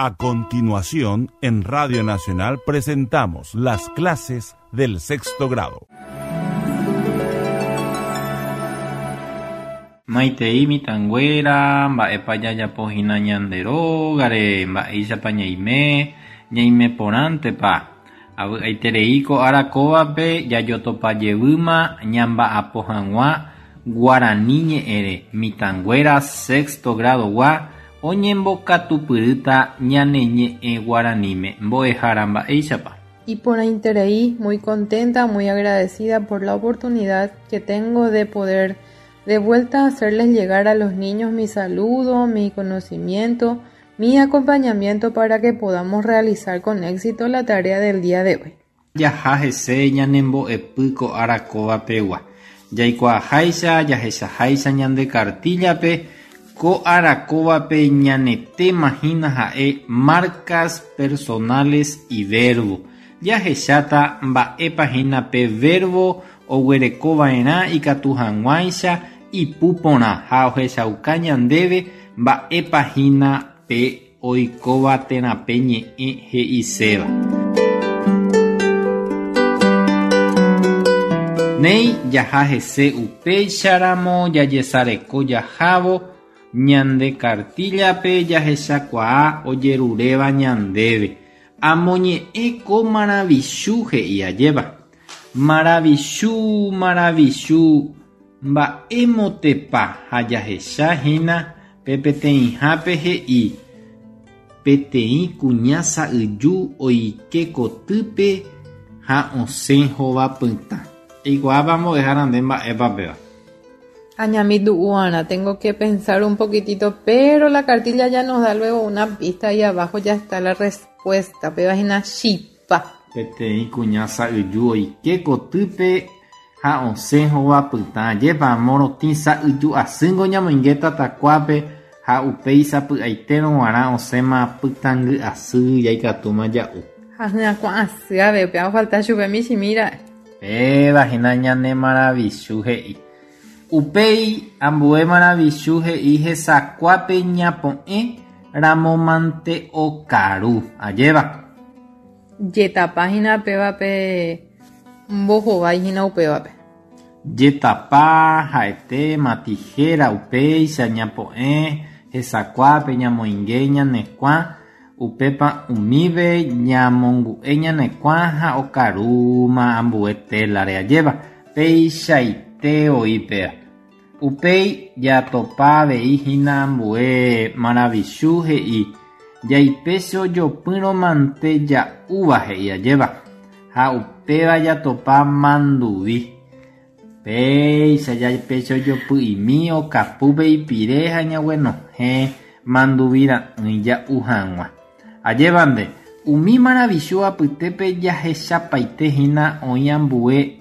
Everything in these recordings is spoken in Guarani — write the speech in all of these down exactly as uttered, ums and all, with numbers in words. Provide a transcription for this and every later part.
A continuación, en Radio Nacional presentamos las clases del sexto grado. Maitei mitãnguéra, mba'épa jajapo hína ñande rógare, mba'éichapa ñaime, ñaime porãntepa. Avy'aiterei ko ára kóvape jajotopajevýma ñamba'apo hag̃ua guarani ñe'ẽre mitãnguéra sexto grado-gua oñembokatupyrýta ñane ñe'ẽ guaraníme. Mbo'ehára mba'éichapa. Iporãiterei, muy contenta, muy agradecida por la oportunidad que tengo de poder de vuelta a hacerles llegar a los niños mi saludo, mi conocimiento, mi acompañamiento para que podamos realizar con éxito la tarea del día de hoy. Jaha hese ñanembo'epy ko ára kóvapegua. Jaikuaaháicha, jahechaháicha ñande cartillape, ko ára kóvape ñane tema hína ha'e marcas personales y verbo. Jahecháta mba'épa hína pe verbo oguerekova'erã ikatu hag̃uáicha ipu porã ha ohechauka ñandéve mba'épa hína pe oikóva térã pe ñe'ẽ he'iséva. Néi jaha hese upéicharamo jajesareko jahávo ñande cartillape jahechakuaa ojeruréva ñandéve. Amoñe'ẽ ko maravichu he'i ajéva. Maravichu, maravichu, mba'émotepa ha jahecha hína pe peteĩhápe he'i. Peteĩ kuña sa'yju oike kotýpe ha osẽ hovapytã. Eikuaápa mbo'ehára nde mba'épa péva. Añamítu'uarã, tengo que pensar un poquitito, pero la cartilla ya nos da luego una pista y abajo ya está la respuesta. Péva hína chipa. Peteĩ kuña sa'yju oike kotýpe ha osẽ hovapytã. Ajépa morotĩ sa'yju asýngo ñamoinge tatakuápe ha upéi sapy'aitérõ g̃uarã osẽma pytãngy asy jaikatúma ja'u. Ha hyakuã asy ave, upéva ofalta chupe michĩmíra'e. Péva hína ñane maravichu he'i. Upéi ambue maravichu he'i hesakuápe ñapo'ẽ ramómante okaru. Ajéva. Jetapa hína pévape mbohovái hína upévape. Jetapa ha'ete matijera upéicha ñapo'ẽ hesakuápe ñamoinge ñanekuã upépa umíve ñamongu'e ñanekuã ha okarúma ambue télare ajéva. Peichaite oĩ péva. Upéi jatopa avei hína ambue maravichu he'i jaipécho jopýrõmante ja'úva he'i ajéva. Ha upéva jatopa manduvi. Péicha jaipécho jopy'imi okapúpe ipire ha ñaguenohẽ manduvi ra'ỹi ja'u hag̃ua. Ajéva nde, umi maravichu apytépe jahechapaite hína oĩ ambue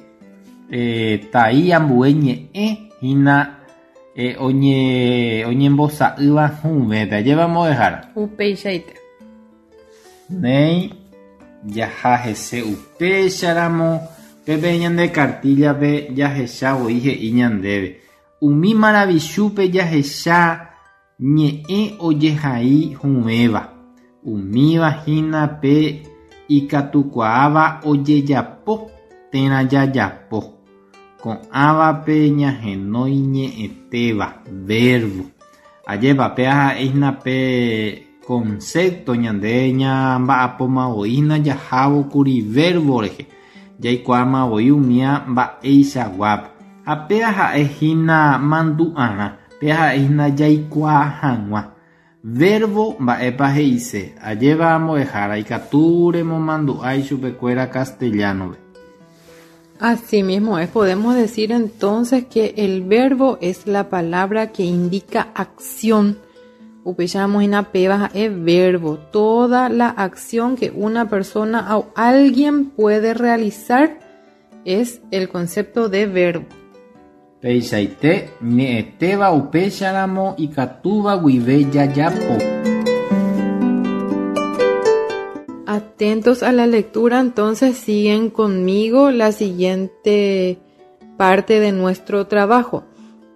eh, tai ambue ñe'ẽ hína eh, oñe, oñembosa'ýva hũvépe. Ajéva mbo'ehára. Upeichaite. Néi jaha hese upéicharamo pépe ñande cartillape jahecha voi he'i ñandéve. Umi maravichúpe jahecha ñe'ẽ ojehai hũvéva. Umíva hína pe ikatukuaáva ojejapo térã jajapo. Ko'ãvape ñahenói ñe'ẽtéva, verbo. Ajépa péva ha'e hína pe concepto ñande ñamba'apóma voi hína jahávo kuri verbo rehe. Jaikuaáma voi umía mba'eichaguápe. Ha péva ha'e hína mandu'arã, péva ha'e hína jaikuaa hag̃ua. Verbo mba'épa he'ise. Ajéva mbo'ehára ikatu remomandu'a ichupekuéra castellano-pe. Así mismo es, podemos decir entonces que el verbo es la palabra que indica acción. Upéicharamo hína péva ha'e verbo. Toda la acción que una persona o alguien puede realizar es el concepto de verbo. Peichaite ñe'ẽtéva upéicharamo ikatúva guive jajapo. Atentos a la lectura, entonces siguen conmigo la siguiente parte de nuestro trabajo.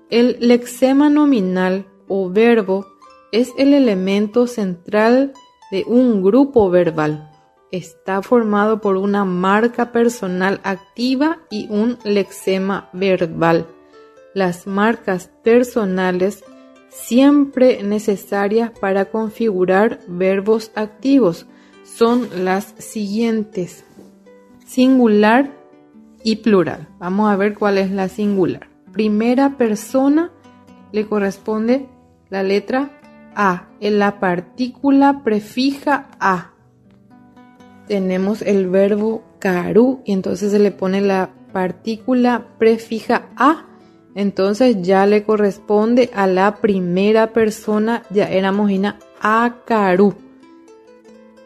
El lexema nominal o verbo es el elemento central de un grupo verbal. Está formado por una marca personal activa y un lexema verbal. Las marcas personales siempre necesarias para configurar verbos activos son las siguientes: singular y plural. Vamos a ver cuál es la singular. Primera persona le corresponde la letra A, en la partícula prefija a. Tenemos el verbo karu y entonces se le pone la partícula prefija a. Entonces ya le corresponde a la primera persona, ya éramos ina akaru.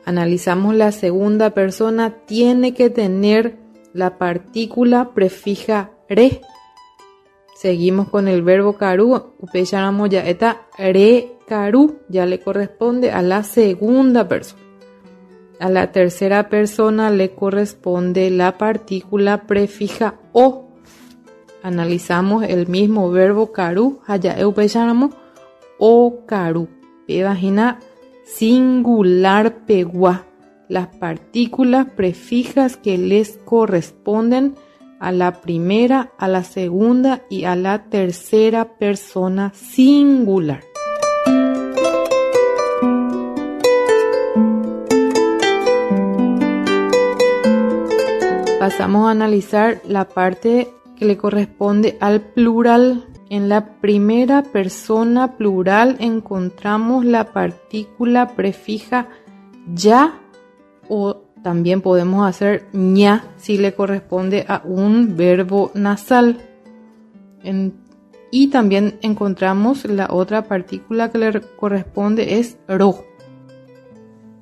Analizamos la segunda persona, tiene que tener la partícula prefija re. Seguimos con el verbo karu, upecharamo ya eta re karu, ya le corresponde a la segunda persona. A la tercera persona le corresponde la partícula prefija o. Analizamos el mismo verbo karu, haya upecharamo o karu. Pebajina singular pegua. Las partículas prefijas que les corresponden a la primera, a la segunda y a la tercera persona singular. Pasamos a analizar la parte que le corresponde al plural. En la primera persona plural encontramos la partícula prefija ya, o también podemos hacer ña si le corresponde a un verbo nasal. En, y también encontramos la otra partícula que le corresponde es ro.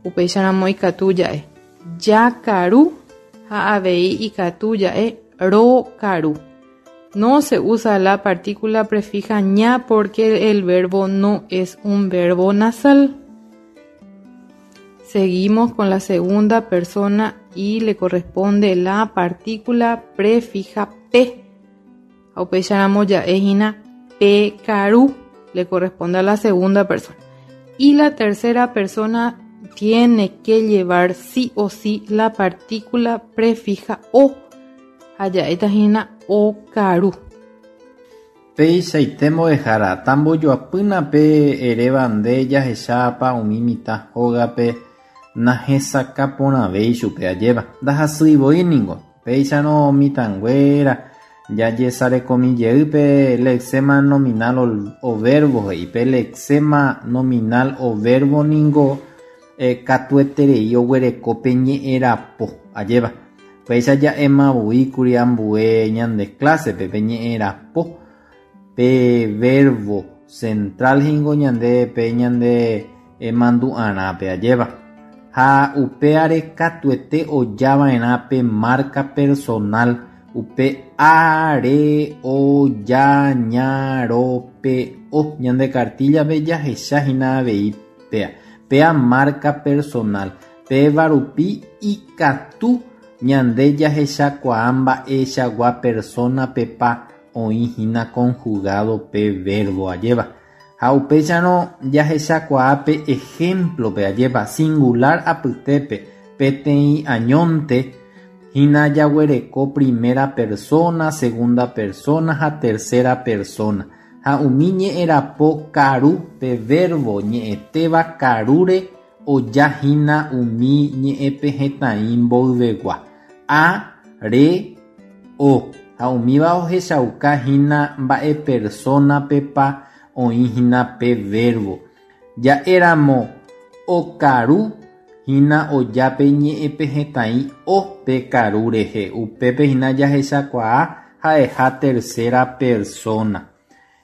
Upecharamo ikatu ya'e. Yakaru ha avei ikatu ya'e ro karu. No se usa la partícula prefija ña porque el verbo no es un verbo nasal. Seguimos con la segunda persona y le corresponde la partícula prefija p. Upecharamo ya'e hína pe karu, le corresponde a la segunda persona. Y la tercera persona tiene que llevar sí o sí la partícula prefija o. Ha'éta hína okaru. Peichaite mbo'ehára tambojoapýna pe eréva nde jahechápa umi mitã hógape nahesakãporãvéi chupe ajépa ndahasýivoi ningo péicharõ mitãnguéra jajesarekomijey pe lexema nominal o verbo he'i pe lexema nominal o verbo ningo eh, katueterei oguereko pe ñe'ẽrapo ajépa péicha ja'emavoíkuri ambue ñande clásepe pe ñe'ẽrapo pe verbo central hingo ñande pe ñande mandu'arãpe ajépa ha upeare katuete ojava'erã pe marca personal upe a, re, o, ya, ña, ro, pe, o ñande cartillape jahechahína avei pea pea marca personal péva rupi ikatu ñande jahechakuaa mba'eichagua persona pepa oĩhína conjugado pe verbo ajépa ha upéicharõ jahechakuaa pe ejemplope ajépa singular apytépe peteĩ añónte hína jaguereko primera persona, segunda persona ha tercera persona ha umi ñe'ẽrapo karu pe verbo ñe'ẽtéva karúre ojahína umi ñe'ẽpehẽtai mboyvegua a, re, o ha umíva ohechaukahína mba'e persona pepa oĩhína pe verbo ja'éramo okaru hína oja pe ñe'ẽpehẽtai o pe karu rehe upépe hína jahechakuaa ha'eha tercera persona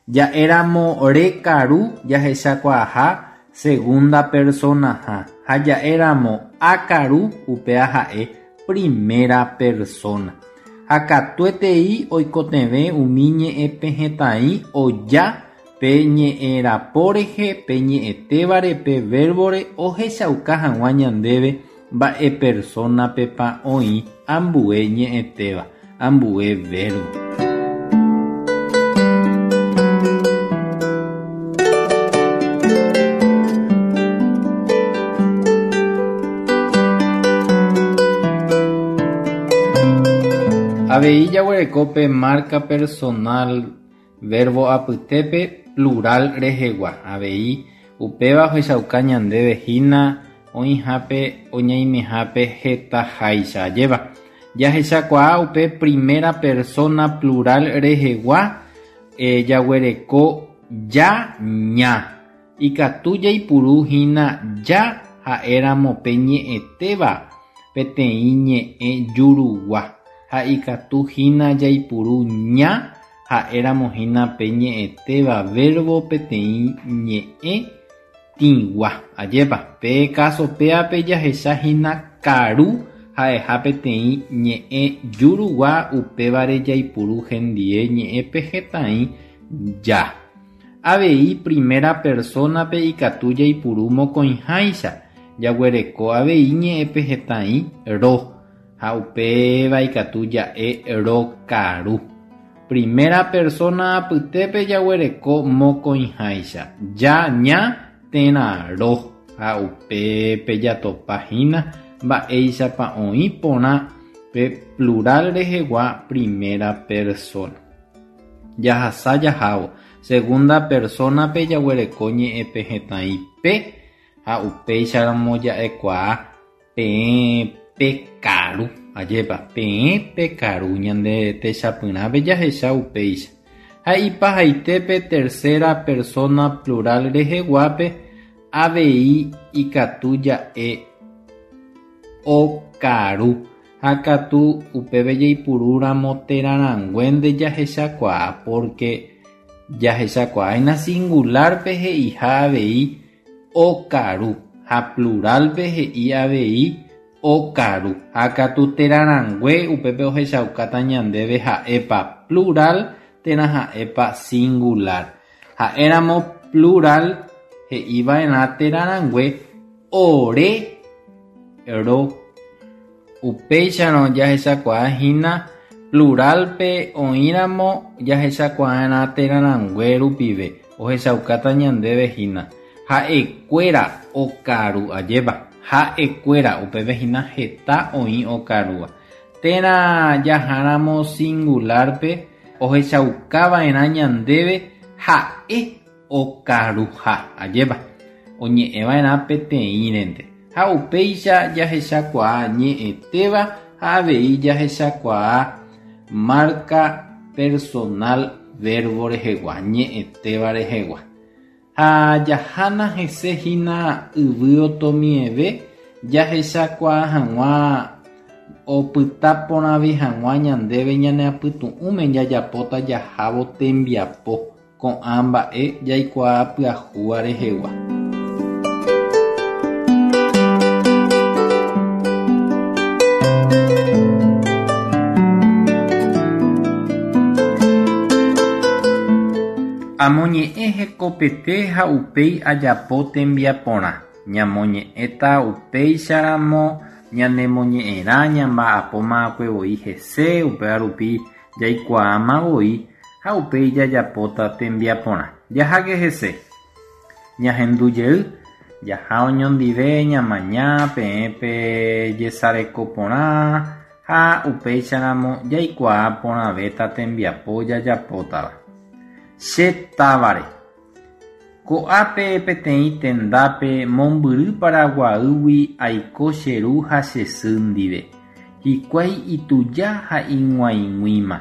ja'éramo rekaru jahechakuaaha segunda persona ha ha ja'éramo akaru upéva ha'e primera persona ha katuetei oikotevẽ umi ñe'ẽpehẽtai oja pe ñe'ẽrapo rehe pe ñe'ẽtévare pe verbore ohechauka hag̃ua ñandéve mba'e persona pepa oĩ ambue ñe'ẽtéva ambue verbo. Avei jaguereko marca personal verbo apytépe plural rehegua. Avei upéva ohechauka ñandéve hína oĩhápe oñaimehápe hetaháicha ajépa. Jahechakuaa upe primera persona plural rehegua eh, jaguereko ja ña. Ikatu jaipuru hína ja ha'éramo pe ñe'ẽtéva peteĩ ñe'ẽ jurugua ha ikatu hína jaipuru ña ha'éramo hína pe ñe'ẽtéva verbo peteĩ ñe'ẽ tĩgua. Ajépa pe caso péape jahecha hína karu ha'eha peteĩ ñe'ẽ jurugua upévare jaipuru hendie ñe'ẽpe hetãi ja. Avei primera persona-pe ikatu jaipuru mokõiháicha jaguereko avei ñe'ẽpe hetãi ro ha upéva ikatu ja'e rokaru. Primera persona apytépe jaguereko mokõiháicha ja ña térã ro ha upépe jatopa hína mba'éichapa oĩ porã pe plural rehegua primera persona. Jahasa jahávo segunda persona-pe jaguereko ñe'ẽpe hetãi pe ha upéicharamo ja'ekuaa peẽ pekaru. Ajépa peẽ pekaru ñande techapyrãpe jahecha upéicha. Ha ipahaitépe tercera persona plural reheguápe avei ikatu ja'e okaru ha katu upépe jaipurúramo térãranguénte jahechakuaa porque jahechakuaáina singular-pe he'iha avei okaru ha plural-pe he'i avei okaru ha katu térãrangue upépe ohechaukáta ñandéve ha'épa plural térã ha'épa singular. Ha'éramo plural he'iva'erã térãrangue ore ro. Upéicharõ jahechakuaa hína plural-pe oĩramo jahechakuaarã térãrangue rupive ohechaukáta ñandéve hína ha'ekuéra okaru ajépa ha'ekuéra upépe hína heta oĩ okarúva. Térã jaháramo singular-pe ohechaukava'erã ñandéve ha'e okaruha ajépa oñe'ẽva'erã peteĩrente. Ha upéicha jahechakuaa ñe'ẽtéva ha avei jahechakuaa marca personal verbo rehegua ñe'ẽtéva rehegua. Ha jahána hese hína yvy otomieve jahechakuaa hag̃ua opyta porãve hag̃ua ñandéve ñane apytu'ũme jajapóta jahávo tembiapo ko'ã mba'e jaikuaa pyahúva rehegua. Amoñe'ẽ hekopete ha upéi ajapo tembiaporã. Ñamoñe'ẽta upéicharamo ñanemoñe'ẽrã ñamba'apómakue voi hese upéva rupi jaikuaáma voi ha upéi jajapóta tembiaporã. Jaháke hese. Ñahendujey jaha oñondive ñamaña peẽ pe jesareko porã ha upéicharamo jaikuaa porãvéta tembiapo jajapótava. Che távare. Ko'ápe peteĩ tendápe mombyry Paraguaýgui aiko che ru ha che sy ndive. Hikuái ituja ha ig̃uaig̃uíma.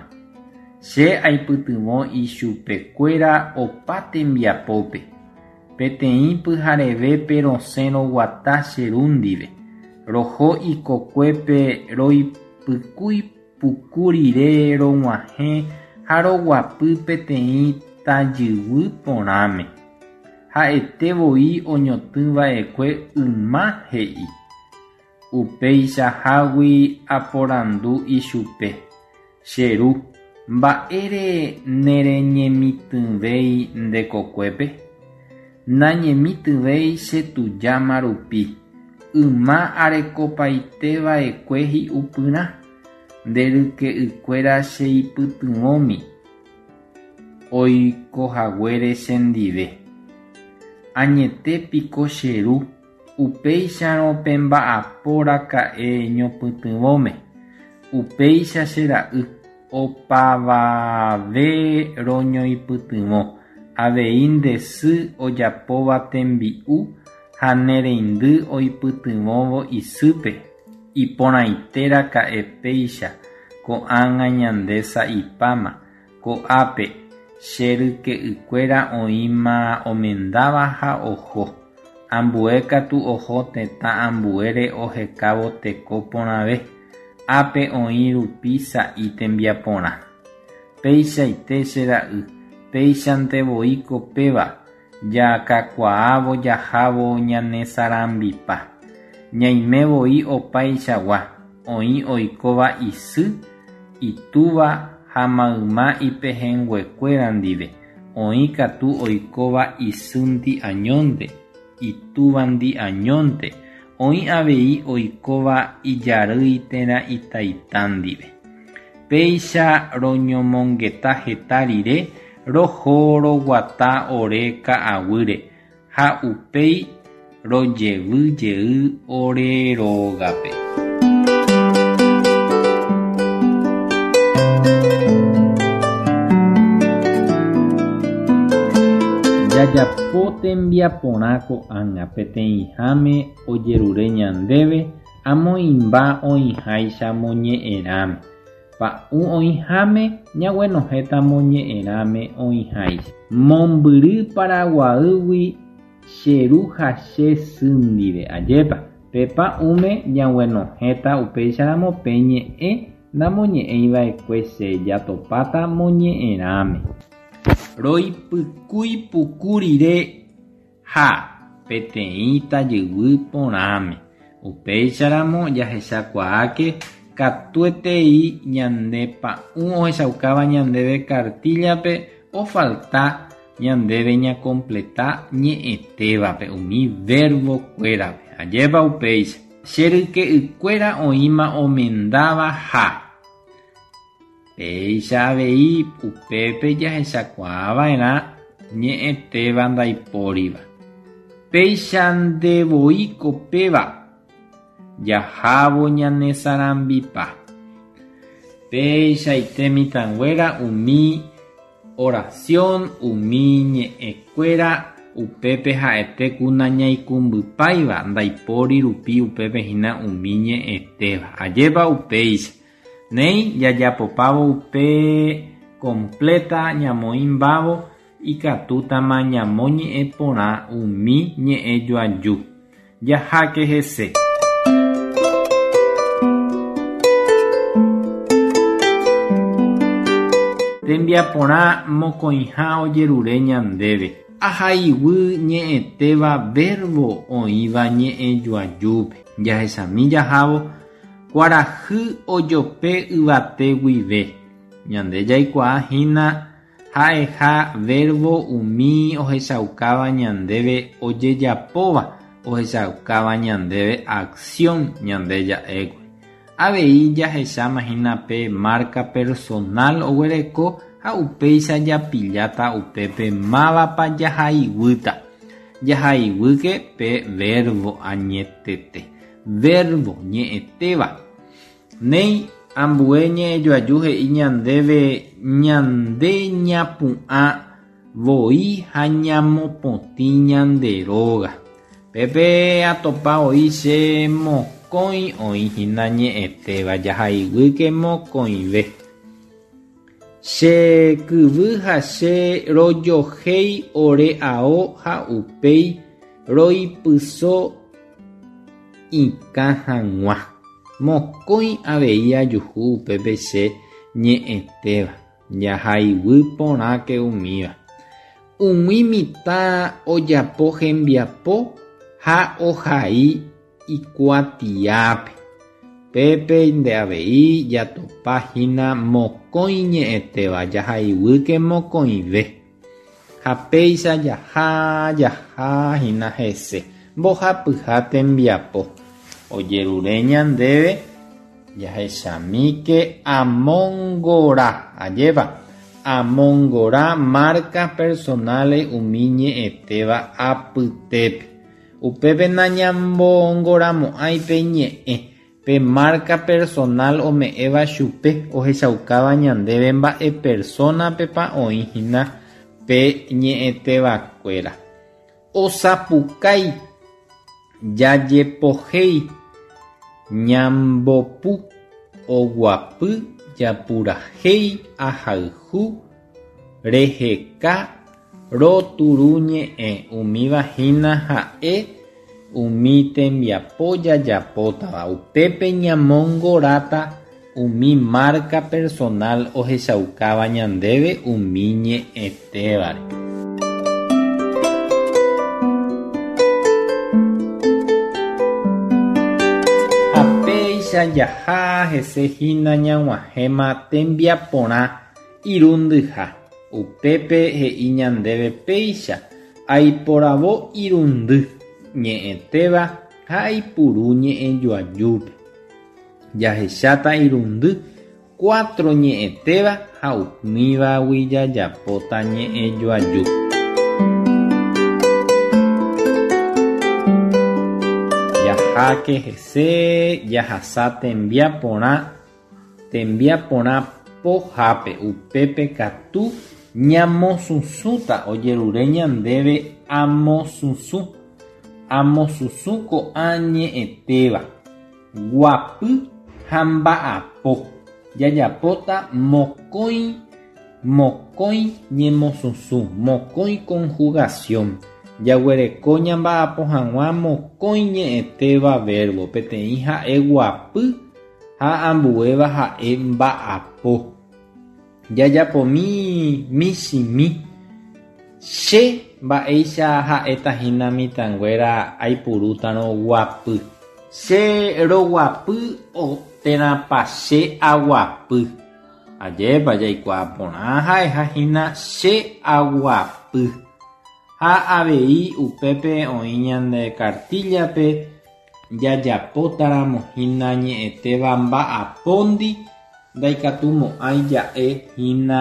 Che aipytyvõ ichupekuéra opa tembiapópe. Peteĩ pyharevépe rosẽ roguata che ru ndive. Roho ikokuépe roipykúi puku rire rog̃uahẽ ha roguapy peteĩ tajyguy porãme. Ha'ete voi oñotỹva'ekue yma he'i. Upeichahágui aporandu ichupe. Che ru, mba'ére nereñemitỹvéi nde kokuépe? Nañemitỹvéi chetujáma rupi. Yma arekopaiteva'ekue hi'upyrã. Nde ryke'ykuéra cheipytyvõmi oikohaguére chendive. Añete piko che ru, upéicharõ pemba'apo raka'e ñopytyvõme. Upéicha che ra'y. Opavave roñoipytyvõ. Avei nde sy ojapóva tembi'u ha ne reindy oipytyvõvo isýpe. Iporãiteraka'e péicha ko'ág̃a ñande sa'ipáma. Ko'ápe che ryke'ykuéra oĩma omendáva ha oho. Ambue katu oho tetã ambuére ohekávo teko porãve. Ápe oĩ rupi sa'i tembiaporã. Peichaite che ra'y, péichantevoíko péva jakakuaávo jahávo ñanesarambipa. Ñaimevoi opaichagua, oĩ oikóva isy, itúva ha mayma ipehẽnguekuéra ndive, oĩ katu oikóva isýndi añónte, itúvandi añónte, oĩ avei oikóva ijarýi térã itaita ndive. Péicha roñomongeta heta rire roho roguata ore ka'aguýre ha upéi rojevyjey ore rógape. Jajapo tembiaporã ko'ág̃a peteĩháme ojerure ñandéve amoĩmba oĩháicha moñe'ẽrãme. Pa'ũ oĩháme ñaguenohẽta moñe'ẽrãme oĩháicha. Mombyry Paraguaýgui che ru ha che sy ndive. Ajépa pe pa'ũme ñaguenohẽta upéicharamo pe ñe'ẽ namoñe'ẽiva'ekue che jatopáta moñe'ẽrãme. Roipykúi puku rire ha peteĩ tajyguy porãme. Upéicharamo jahechakuaáke katuetei ñande pa'ũ ohechaukáva ñandéve cartilla-pe ofalta ñandéve ñacompleta ñe'ẽtévape umi verbo-kuérape. Ajépa upéicha. Che ryke'ykuéra oĩma omendáva ha péicha avei upépe jahechakuaava'erã ñe'ẽtéva ndaipóriva. Péicha ndevoíko péva jahávo ñanesarambipa. Peichaite mitãnguéra umi oración, umi ñe'ẽkuéra upépe ha'ete ku nañaikumbypáiva ndaipóri rupi upépe hína umi ñe'ẽtéva. Ajépa upéicha. Néi jajapopávo upe completa ñamoĩmbávo ikatútama ñamoñe'ẽporã umi ñe'ẽjoaju. Jaháke hese. Tembiaporã mokõiha ojerure ñandéve. Ahaiguy ñe'ẽtéva verbo oĩva ñe'ẽjoajúpe. Jahechami jahávo kuarahy ojope yvate guive. Ñande jaikuaa hína ha'eha verbo umi ohechaukáva ñandéve ojejapóva, ohechaukáva ñandéve acción ñande ja'ékuri. Avei jahecháma hína pe marca personal oguereko ha upéicha japilláta upépe mávapa jahaiguýta. Jahaiguýke pe verbo añetete. Verbo ñe'ẽtéva. Néi ambue ñe'ẽjoaju he'i ñandéve ñande ñapu'ã voi ha ñamopotĩ ñande róga. Pépe atopa oĩ che mokõi oĩ hína ñe'ẽtéva jahaiguýke mokõive. Che kyvy ha che rojohéi ore ao ha upéi roipyso ikã hag̃ua. Mokõi avei ajuhu upépe che ñe'ẽtéva. Jahaiguy porãke umíva. Umi mitã ojapo hembiapo ha ohai ikuatiápe. Pépe nde avei jatopa hína mokõi ñe'ẽtéva jahaiguýke mokõive. Ha péicha jaha jaha hína hese. Mbohapyha tembiapo. Ojerure ñandéve jahechamíke amongora. Ajépa amongora marcas personales umi ñe'ẽtéva apytépe. Upépe nañamongoramo'ãi pe ñe'ẽ. Pe marca personal ome'ẽva chupe ohechaukáva ñandéve mba'e persona-pepa oĩhína pe ñe'ẽtevakuéra. Osapukái, jajepohéi, ñambopu, oguapy, japurahéi, ahayhu, reheka, roturuñe'ẽ umíva hína ha'e umi tembiapo jajapótava upépe ñamongoráta umi marca personal ohechaukáva ñandéve umi ñe'ẽtévare. Ha péicha jaha hese hína ñag̃uahẽma tembiaporã irundyha. Upépe he'i ñandéve péicha aiporavo irundy ñe'ẽtéva ha aipuru ñe'ẽjoajúpe. Jahecháta irundy cuatro ñe'ẽtéva ha umívagui jajapóta ñe'ẽjoaju. Jaháke hese jahasa tembiaporã tembiaporã pohápe upépe katu ñamosusũta ojerure ñandéve amosusũ amosusũ ko'ã ñe'ẽtéva guapy ha mba'apo jajapóta mokõi mokõi ñemosusũ mokõi conjugación jaguereko ñamba'apo hag̃ua mokõi ñe'ẽtéva verbo peteĩ ha'e guapy ha ambuéva ha'e mba'apo. Jajapomi michĩmi che mba'éicha ha'éta hína mitãnguéra aipurútarõ guapy. Che roguapy térãpa che aguapy. Ajépa jaikuaa porã ha'eha hína che aguapy. Ha avei upépe oĩ ñande cartilla-pe jajapótaramo hína ñe'ẽtéva mba'apóndi ndaikatumo'ãi ja'e hína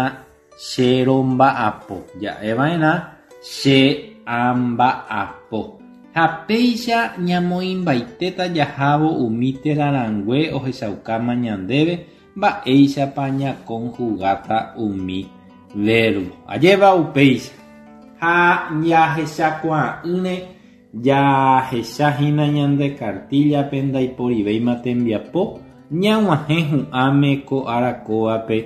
che romba'apo. Ja'eva'erã che amba'apo. Ha péicha ñamoĩmbaitéta jahávo umi terarãngue ohechaukáma ñandéve mba'éichapa ñaconjugata umi verbo. Ajépa upéicha. Ha jahechakuaa'ỹre jahechahína ñande cartilla-pe ndaiporivéima tembiapo ñag̃uahẽ hu'ãme ko arakóvape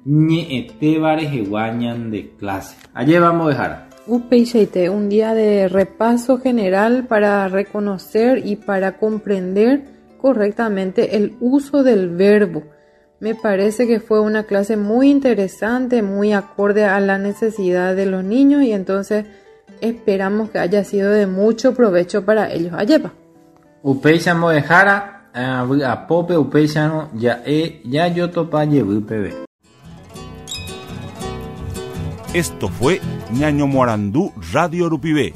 ñe'ẽtéva rehegua ñande clase. Ajépa mbo'ehára. Upeichaite, un día de repaso general para reconocer y para comprender correctamente el uso del verbo. Me parece que fue una clase muy interesante, muy acorde a la necesidad de los niños y entonces esperamos que haya sido de mucho provecho para ellos. Ayepa. Upeicha mbo'ehára, vy'apópe upéicharõ ja'e jajotopa jevy peve. Esto fue Ñaño Morandú Radio Rupivé,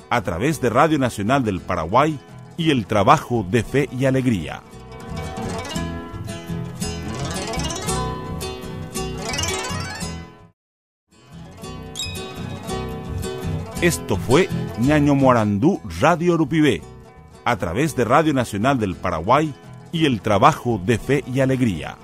a través de Radio Nacional del Paraguay y el trabajo de Fe y Alegría. Esto fue Ñaño Morandú Radio Rupivé, a través de Radio Nacional del Paraguay y el trabajo de Fe y Alegría.